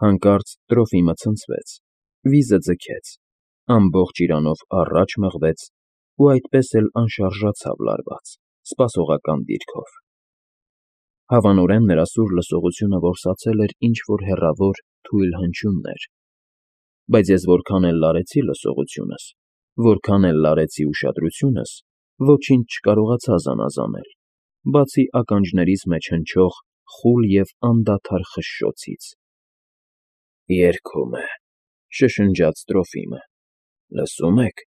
Հանկարծ Տրոֆիմը ցնցվեց, վիզը ձգեց, ամբողջ իրանով առաջ մղվեց ու այդպես էլ անշարժացավ լարված, սպասողական դիրքով։ Հավանորեն նրա սուր լսողությունը որսացել էր ինչ֊որ հեռավոր, թույլ հնչյուններ, բայց ես որքան էլ լարեցի լսողությունս, որքան էլ լարեցի ուշադրությունս, ոչինչ չկարողացա զանազանել, բացի ականջներիս մեջ հնչող խուլ և անդադար խշշոցից։ «Երգում է,֊ շշնջաց Տրոֆիմը,֊ լսո՞ւմ եք»։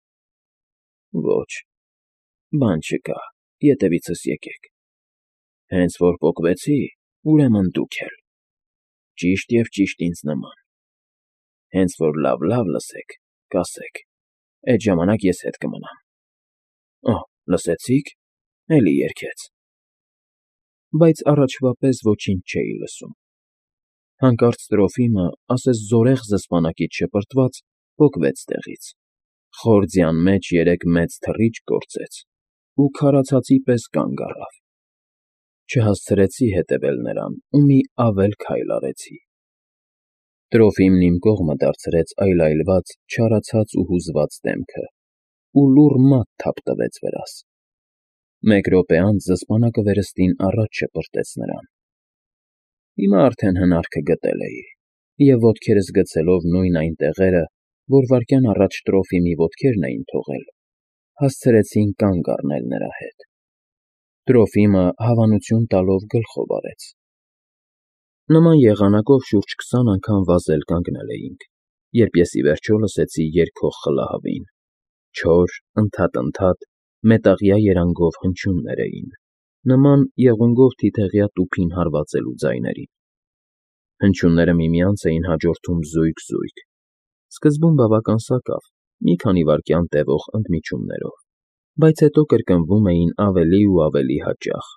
«Ոչ, բան չկա, ետևիցս եկեք»։ «Հենց որ պոկվեցի, ուրեմն դուք էլ։ Ճիշտ և ճիշտ ինձ նման։ Հենց որ լավ լսեք, կասեք, էդ ժամանակ ես հետ կմնամ։ Օհ, լսեցի՞ք, էլի երգեց»։ Բայց առաջվա պես ոչինչ չէի լսում։ Հանկարծ Տրոֆիմը, ասես զորեղ զսպանակից շպրտված, պոկվեց տեղից, խոր ձյան մեջ երեք մեծ թռիչք գործեց ու քարացածի պես կանգ առավ։ Չհասցրեցի հետևել նրան ու մի ավել քայլ արեցի։ Տրոֆիմն իմ կողմը դարձրեց այլայլված, չարացած ու հուզված դեմքը ու լուռ մատ թափ տվեց վրաս։ Մեկ րոպե անց զսպանակը վերստին առաջ շպրտեց նրան։ Հիմա արդեն հնարքը գտել էի, և ոտքերս գցելով նույն այն տեղերը, որ վայրկյան առաջ Տրոֆիմի ոտքերն էին թողել, հասցրեցին կանգ առնել նրա հետ։ Տրոֆիմը հավանություն տալով գլխով արեց։ Նման եղանակով շուրջ 20 անգամ վազել կանգնել էինք, երբ ես ի վերջո լսեցի երգող խլահավին։ Չոր, ընդհատ, մետաղյա երանգով հնչյուններ էին, նման եղունգով թիթեղյա տուփին հարվածելու ձայներին։ Հնչյունները միմյանց էին հաջորդում զույգ, սկզբում բավական սակավ, մի քանի վայրկյան տևող ընդմիջումներով, բայց հետո կրկնվում էին ավելի ու ավելի հաճախ,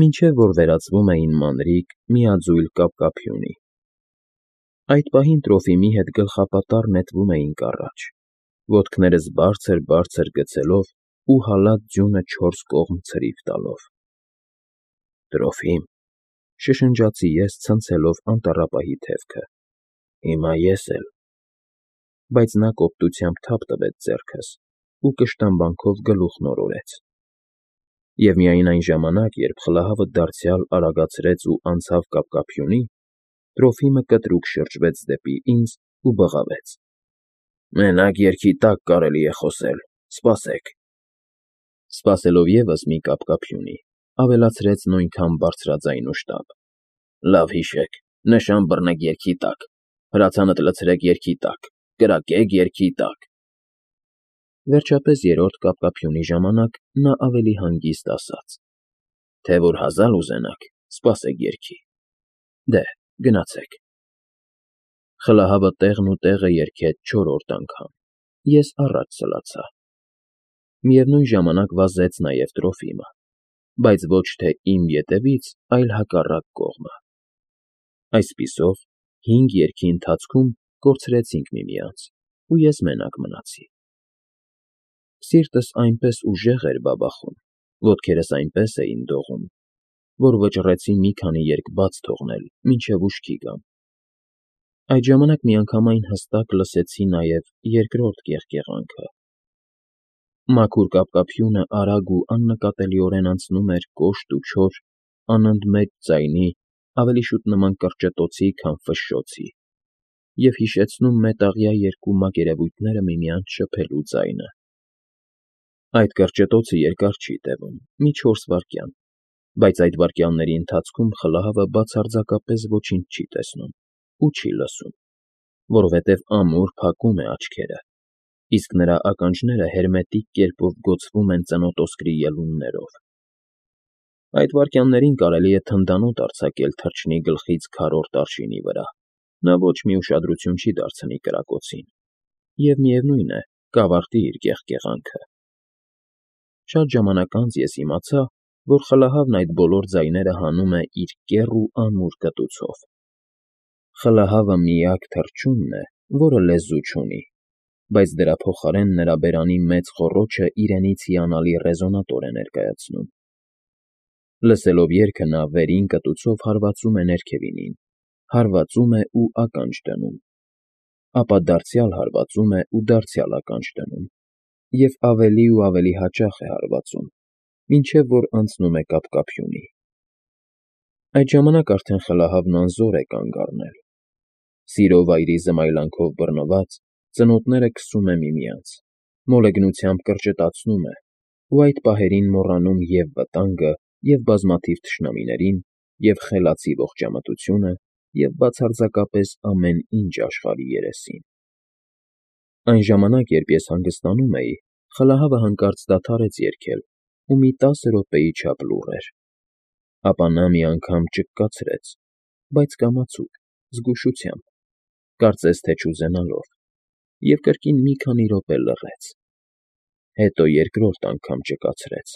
մինչև որ վերածվում էին մանրիկ, միաձույլ կապկապյունի։ Այդ պահին Տրոֆիմի հետ գլխապատառ նետվում էինք առաջ, ոտքներս բարձր գցելով ու հալած ձյունը 4 կողմ ցրիվ տալով։ «Տրոֆիմ,֊ շշնջացի ես, ցնցելով անտառապահի թևքը,֊ հիմա ես էլ»։ Բայց նա կոպտությամբ թափ տվեց ձեռքս ու կշտամբանքով գլուխն օրորեց։ Եվ միայն այն ժամանակ, երբ խլահավը դարձյալ արագացրեց ու անցավ կապկապյունի, Տրոֆիմը կտրուկ շրջվեց դեպի ինձ ու բղավեց. «Մենակ երգի տակ կարելի է խոսել, սպասեք»։ Սպասելով ևս մի կապկապյունի, ավելացրեց նույնքան բարձրաձայն ու շտապ. «Լավ հիշեք, նշան բռնեք երգի տակ, հրացանդ լցրեք երգի տակ, կրակեք երգի տակ»։ Վերջապես երրորդ կապկապյունի ժամանակ նա ավելի հանգիստ ասաց. «Թե որ հազալ ուզենաք, սպասեք երգի։ Դե, գնացեք»։ Խլահավը տեղն ու տեղը երգեց 4-րդ անգամ, ես առաջ սլացա։ Միևնույն ժամանակ վազեց նաև Տրոֆիմը, բայց ոչ թե իմ ետևից, այլ հակառակ կողմը։ Այսպիսով, 5 երգի ընթացքում կորցրեցինք միմյանց, ու ես մենակ մնացի։ Սիրտս այնպես ուժեղ էր բաբախում, ոտքերս այնպես էին դողում, որ վճռեցի մի քանի երգ բաց թողնել, մինչև ուշքի գամ։ Այդ ժամանակ միանգամայն հստակ լսեցի նաև երկրորդ կեղկեղանքը։ Մաքուր կապկապյունը արագ ու աննկատելիորեն անցնում էր կոշտ ու չոր, անընդմեջ ձայնի, ավելի շուտ նման կրճտոցի, քան ֆշշոցի, և հիշեցնում մետաղյա երկու մակերևույթները միմյանց շփելու ձայնը։ Այդ կրճտոցը երկար չի տևում, մի 4 վայրկյան, բայց այդ վայրկյանների ընթացքում խլահավը բացարձակապես ոչինչ չի տեսնում ու չի լսում, որովհետև ամուր փակում է աչքերը, իսկ նրա ականջները հերմետիկ կերպով գոցվում են ծնոտոսկրի ելուններով։ Այդ վայրկյաններին կարելի է թնդանոթ արձակել թռչնի գլխից քառորդ արշինի վրա, նա ոչ մի ուշադրություն չի դարձնի կրակոցին, և միևնույն է, կավարտի իր կեղկեղանքը։ Շատ ժամանակ անց ես իմացա, որ խլահավն այդ բոլոր ձայները հանում է իր կեռ ու ամուր կտուցով։ Խլահավը միակ թռչունն է, որը լեզու չունի, բայց դրա փոխարեն նրա բերանի մեծ խոռոչը իրենից հիանալի ռեզոնատոր է ներկայացնում։ Լսելով երգը նա վերին կտուցով հարվածում է ներքևինին, հարվածում է ու ականջ դնում, ապա դարձյալ հարվածում է ու դարձյալ ականջ դնում, և ավելի ու ավելի հաճախ է հարվածում, մինչև որ անցնում է կապկապյունի։ Այդ ժամանակ արդեն խլահավն անզոր է կանգ առնել։ Սիրո վայրի զմայլանքով բռնված՝ ծնոտները քսում է միմյանց, մոլեգնությամբ կրճտացնում է, ու այդ պահերին մոռանում և վտանգը, և բազմաթիվ թշնամիներին, և խելացի ողջամտությունը, և բացարձակապես ամեն ինչ աշխարհի երեսին։ Այն ժամանակ, երբ ես հանգստանում էի, խլահավը հանկարծ դադարեց երգել ու մի 10 րոպեի չափ լուռ էր։ Ապա նա մի անգամ ճկկացրեց, բայց կամացուկ, զգուշությամբ, կարծես թե չուզենալով, և կրկին մի քանի րոպե լռեց։ Հետո երկրորդ անգամ ճկացրեց,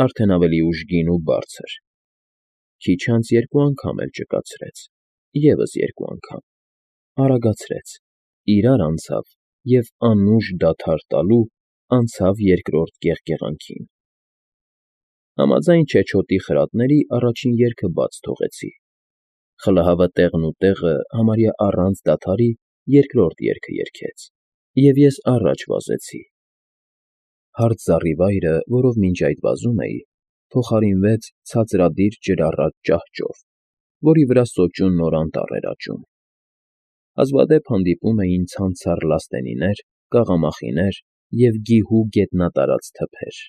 արդեն ավելի ուժգին ու բարձր։ Քիչ անց երկու անգամ էլ ճկացրեց, ևս երկու անգամ, արագացրեց, իրար անցավ և անուշ դադար տալու անցավ երկրորդ գեղգեղանքին։ Համաձայն չեչոտի խրատների առաջին երգը բաց թողեցի։ Խլահավը տեղն ու տեղը համարյա առանց դադարի երկրորդ երգը երգեց, և ես առաջ վազեցի։ Հարթ զառիվայրը, որով մինչ այդ վազում էի, փոխարինվեց ցածրադիր ջրառատ ճահճով, որի վրա սոճու նոր անտառ էր աճում։ Հազվադեպ հանդիպում էին ցանցառ լաստենիներ, կաղամախիներ և գիհու գետնատարած թփեր։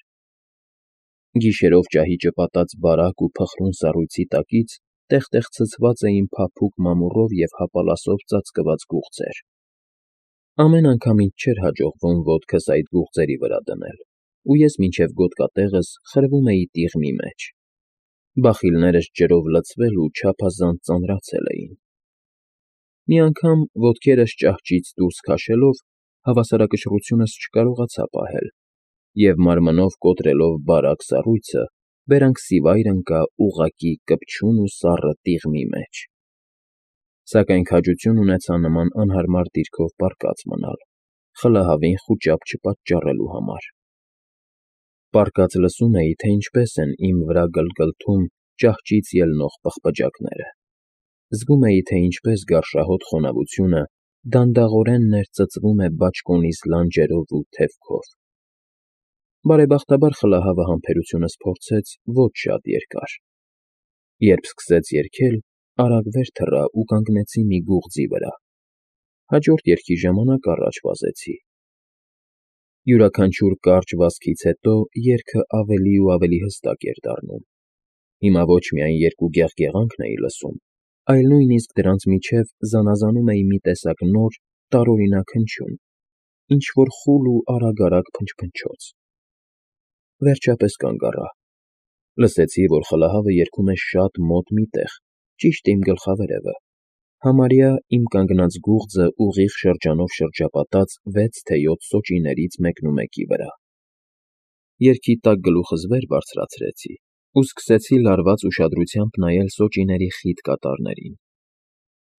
Գիշերով ճահիճը պատած բարակ ու փխրուն սառույցի տակից տեղ֊տեղ ցցված էին փափուկ մամուռով և հապալասով ծածկված գուղձեր։ Ամեն անգամ ինձ չէր հաջողվում ոտքս այդ գուղձերի վրա դնել, ու ես մինչև գոտկատեղս խրվում էի տիղմի մեջ։ Բախիլներս ջրով լցվել ու չափազանց ծանրացել էին։ Մի անգամ, ոտքերս ճահճից դուրս քաշելով, հավասարակշռությունս չկարողացա պահել, և մարմնով կոտրելով բարակ սառույցը, բերանքսիվայր ընկա ուղղակի կպչուն ու սառը տիղմի մեջ։ Սակայն քաջություն ունեցա նման անհարմար դիրքով պառկած մնալ, խլահավին խուճապ չպատճառելու համար։ Պառկած լսում էի, թե ինչպես են իմ վրա գլգլթում ճահճից ելնող պղպջակները։ Զգում էի, թե ինչպես գարշահոտ խոնավությունը դանդաղորեն ներծծվում է բաճկոնիս լանջերով ու թևքով։ Բարեբախտաբար խլահավը համբերությունս փորձեց ոչ շատ երկար։ Երբ սկսեց երգել, արագ վեր թռա ու կանգնեցի մի գուղձի վրա։ Հաջորդ երգի ժամանակ առաջ վազեցի։ Յուրաքանչյուր կարճ վազքից հետո երգը ավելի ու ավելի հստակ էր դառնում։ Հիմա ոչ միայն երկու գեղգեղանքն էի լսում, այլ նույնիսկ դրանց միջև զանազանում էի մի տեսակ նոր, տարօրինակ հնչյուն, ինչ֊որ խուլ ու արագ֊արագ փնչփնչոց։ Վերջապես կանգ առա։ Լսեցի, որ խլահավը երգում է շատ մոտ մի տեղ, ճիշտ իմ գլխավերևը, համարյա իմ կանգնած գուղձը ուղիղ շրջանով շրջապատած 6 թե 7 սոճիներից մեկնումեկի վրա։ Երգի տակ գլուխս վեր բարձրացրեցի ու սկսեցի լարված ուշադրությամբ նայել սոճիների խիտ կատարներին։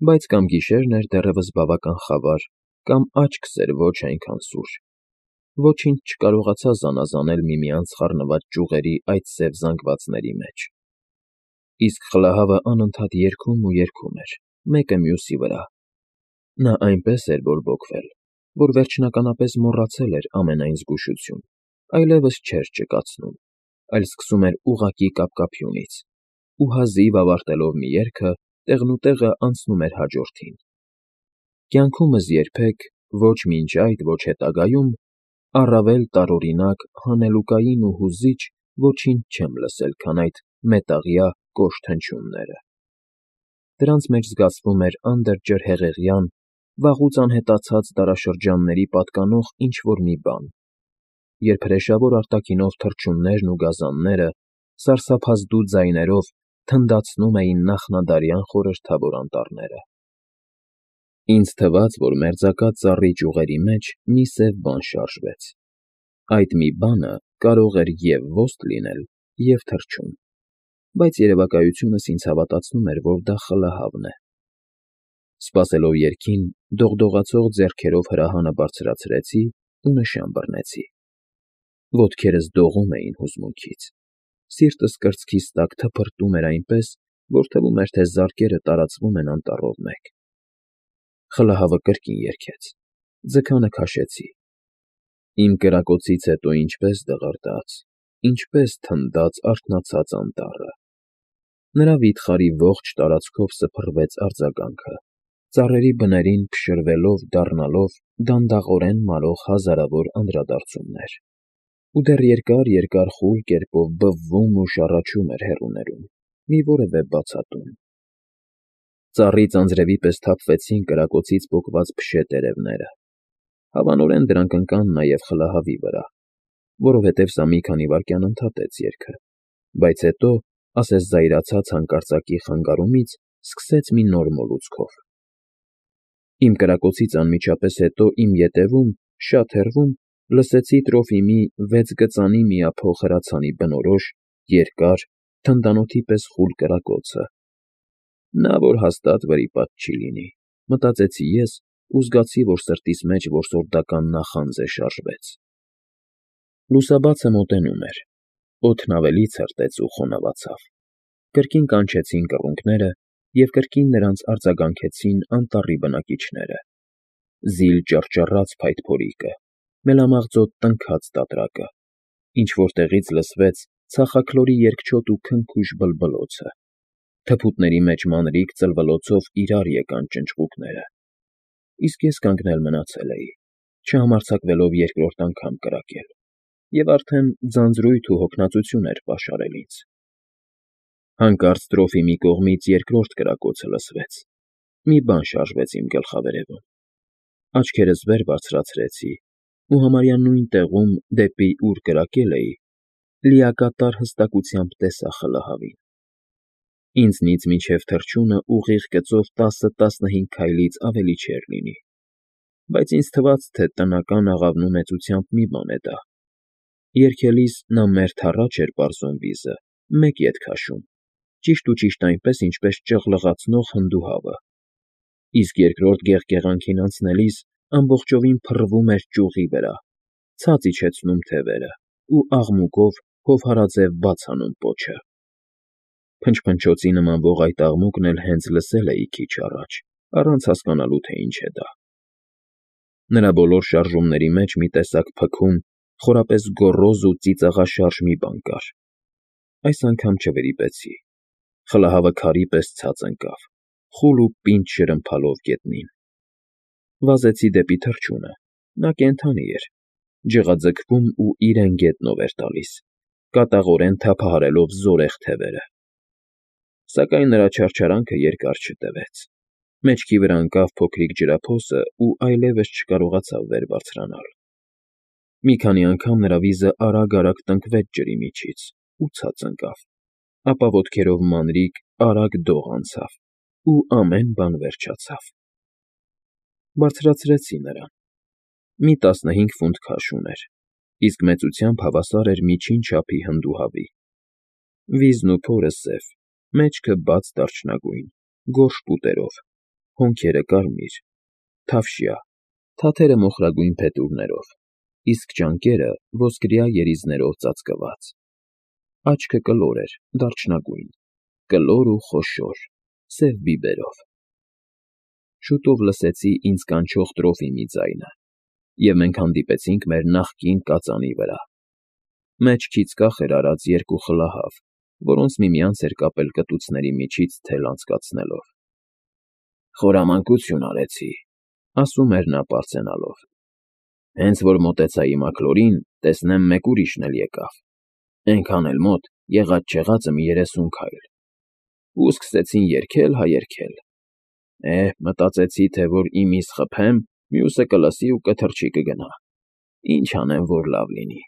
Բայց կամ գիշերն էր դեռևս բավական խավար, կամ աչքս էր ոչ այնքան սուր։ Ոչինչ չկարողացա զանազանել միմյանց խառնված ճյուղերի այդ սև զանգվածների մեջ։ Իսկ խլահավը անընդհատ երգում ու երգում էր, մեկը մյուսի վրա։ Նա այնպես էր բորբոքվել, որ վերջնականապես մոռացել էր ամենայն զգուշություն, այլևս չէր ճկացնում, այլ սկսում էր ուղղակի կապկապյունից, ու հազիվ ավարտելով մի երգը, տեղնուտեղը անցնում էր հաջորդին։ Կյանքումս երբեք, ոչ մինչ այդ, ոչ հետագայում, առավել տարօրինակ, հանելուկային ու հուզիչ ոչինչ չեմ լսել, քան այդ մետաղյա կոշտ հնչյունները։ Դրանց մեջ զգացվում էր անդրջրհեղեղյան, վաղուց անհետացած դարաշրջանների պատկանող ինչ֊որ մի բան, երբ հրեշավոր արտաքինով թռչուններն ու գազանները սարսափազդու ձայներով թնդացնում էին նախնադարյան խորհրդավոր անտառները։ Ինձ թվաց, որ մերձակա ծառի ճյուղերի մեջ մի սև բան շարժվեց։ Այդ մի բանը կարող էր և ոստ լինել, և թռչուն, բայց երևակայությունս ինձ հավատացնում էր, որ դա խլահավն է։ Սպասելով երգին, դողդողացող ձեռքերով հրահանը բարձրացրեցի ու նշան բռնեցի։ Ոտքերս դողում էին հուզմունքից։ Սիրտս կրծքիս տակ թփրտում էր այնպես, որ թվում էր, թե զարկերը տարածվում են անտառով մեկ։ Խլահավը կրկին երգեց, ձգանը քաշեցի։ Իմ կրակոցից հետո ինչպես դղրդաց, ինչպես թնդաց արթնացած անտառը։ Նրա վիթխարի ողջ տարածքով սփռվեց արձագանքը, ծառերի բներին փշրվելով, դառնալով դանդաղորեն մարող հազարավոր անդրադարձումներ, ու դեռ երկար խուլ կերպով բվվում ու շառաչում էր հեռուներում մի որևէ բացատում։ Ծառից անձրևի պես թափվեցին կրակոցից պոկված փշե տերևները։ Հավանորեն դրանք ընկան նաև խլահավի վրա, որովհետև սա մի քանի վայրկյան ընդհատեց երգը, բայց հետո, ասես զայրացած հանկարծակի խանգարումից, սկսեց մի նոր մոլուցքով։ Իմ կրակոցից անմիջապես հետո իմ ետևում, շատ հեռվում, լսեցի Տրոֆիմի 6 գծանի միափող հրացանի բնորոշ, երկար, թնդանոթի պես խուլ կրակոցը։ Նա որ հաստատ վրիպած չի լինի, մտածեցի ես ու զգացի, որ սրտիս մեջ որսորդական նախանձ է շարժվեց։ Լուսաբացը մոտենում էր, օդն ավելի ցրտեց ու խոնավացավ։ Կրկին կանչեցին կռունկները և կրկին նրանց արձագանքեցին անտառի բնակիչները։ Զիլ ճռճռաց փայտփորիկը, մելամաղձոտ տնքաց տատրակը, ինչ-որ տեղից լսվեց ցախաքլորի երկչոտ ու քնքուշ բլբլոցը։ Թփուտների մեջ մանրիկ ծլվլոցով իրար եկան ճնճղուկները։ Իսկ ես կանգնել մնացել էի, չհամարձակվելով երկրորդ անգամ կրակել, և արդեն ձանձրույթ ու հոգնածություն էր պաշարել ինձ։ Հանկարծ Տրոֆիմի կողմից երկրորդ կրակոցը լսվեց։ Մի բան շարժվեց իմ գլխավերևում։ Աչքերս վեր բարձրացրեցի ու համարյա նույն տեղում, դեպի ուր կրակել էի, լիակատար հստակությամբ տեսա խլահավին։ Ինձնից մինչև թռչունը ուղիղ գծով 10-15 քայլից ավելի չէր լինի, բայց ինձ թվաց, թե տնական աղավնու մեծությամբ մի բան է դա։ Երգելիս նա մերթ առաջ էր պարզում վիզը, մեկ ետ քաշում, ճիշտ այնպես, ինչպես ճղլղացնող հնդուհավը, իսկ երկրորդ գեղգեղանքին անցնելիս ամբողջովին փռվում էր ճյուղի վրա, ցած իջեցնում թևերը ու աղմուկով հովհարաձև բաց անում պոչը։ Փնչփնչոցի նմանվող այդ աղմուկն էլ հենց լսել էի քիչ առաջ, առանց հասկանալու, թե ինչ է դա։ Նրա բոլոր շարժումների մեջ մի տեսակ փքուն, խորապես գոռոզ ու ծիծաղաշարժ մի բան կար։ Այս անգամ չվրիպեցի։ Խլահավը քարի պես ցած ընկավ, խուլ ու պինդ շրմփալով գետնին։ Վազեցի դեպի թռչունը, նա կենդանի էր, ջղաձգվում ու իրեն գետնով էր տալիս, կատաղորեն թափահարելով զորեղ թևերը։ Սակայն նրա չարչարանքը երկար չտևեց։ Մեջքի վրա ընկավ փոքրիկ ջրափոսը ու այլևս չկարողացավ վեր բարձրանալ։ Մի քանի անգամ նրա վիզը արագ տնկվեց ջրի միջից ու ցած ընկավ, ապա ոտքերով մանրիկ, արագ դող անցավ ու ամեն բան վերջացավ։ Բարձրացրեցի նրան։ Մի 15 ֆունտ քաշ ուներ, իսկ մեծությամբ հավասար էր միջին չափի հնդուհավի։ Վիզն ու փորը սև, մեջքը բաց դարչնագույն, գորշ պուտերով, հոնքերը կարմիր, թավշյա, թաթերը մոխրագույն փետուրներով, իսկ ճանկերը ոսկրյա երիզներով ծածկված։ Աչքը կլոր էր, դարչնագույն, կլոր ու խոշոր, սև բիբերով։ Շուտով լսեցի ինձ կանչող Տրոֆիմի ձայնը, և մենք հանդիպեցինք մեր նախկին կածանի վրա։ Մեջքից կախ էր արած երկու խլահավ, որոնց միմյանց էր կապել կտուցների միջից թել անցկացնելով։ «Խորամանկություն արեցի», ասում էր նա պարծենալով։ «Հենց որ մոտեցա իմաքլորին, տեսնեմ մեկ ուրիշն էլ եկավ, էնքան էլ մոտ, եղած֊չեղածը մի 30 քայլ, ու սկսեցին երգել հա երգել։ Մտածեցի, թե որ իմիս խփեմ, մյուսը կլսի ու կթռչի կգնա։ Ինչ անեմ, որ լավ լինի։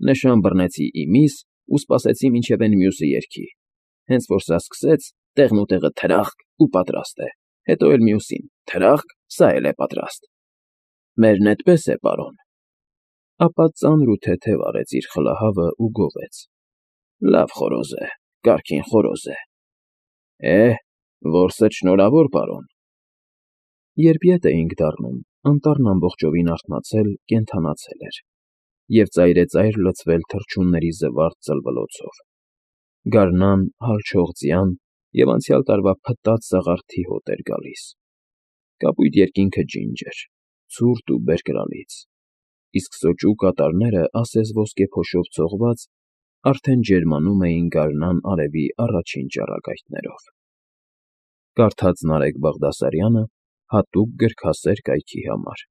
Նշան բռնեցի իմիս ու սպասեցի, մինչև էն մյուսը երգի։ Հենց որ սա սկսեց, տեղնուտեղը թրախկ ու պատրաստ է, հետո էլ մյուսին, թրախկ, սա էլ է պատրաստ։ Մերն էդպես է, պարոն։ Ապա ծանր ու թեթև արեց իր խլահավը ու գովեց. Լավ խորոզ է, կարգին խորոզ է։ Որսդ շնորհավոր, պարոն։ Երբ ետ էինք դառնում, անտառն ամբողջովին արթնացել, կենդանացել էր և ծայրեծայր լցվել թռչունների զվարթ ծլվլոցով։ Գարնան, հալչող ձյան և անցյալ տարվա փտած սաղարթի հոտ էր գալիս. կապույտ երկինքը ջինջ էր, ցուրտ ու բերկրալից, իսկ սոճու կատարները ասես ոսկեփոշով ցողված արդեն ջերմանում էին գարնան արևի առաջին ճառագայթներով։ Կարդաց Նարեկ Բաղդասարյանը հատուկ գրքասեր կայքի համար։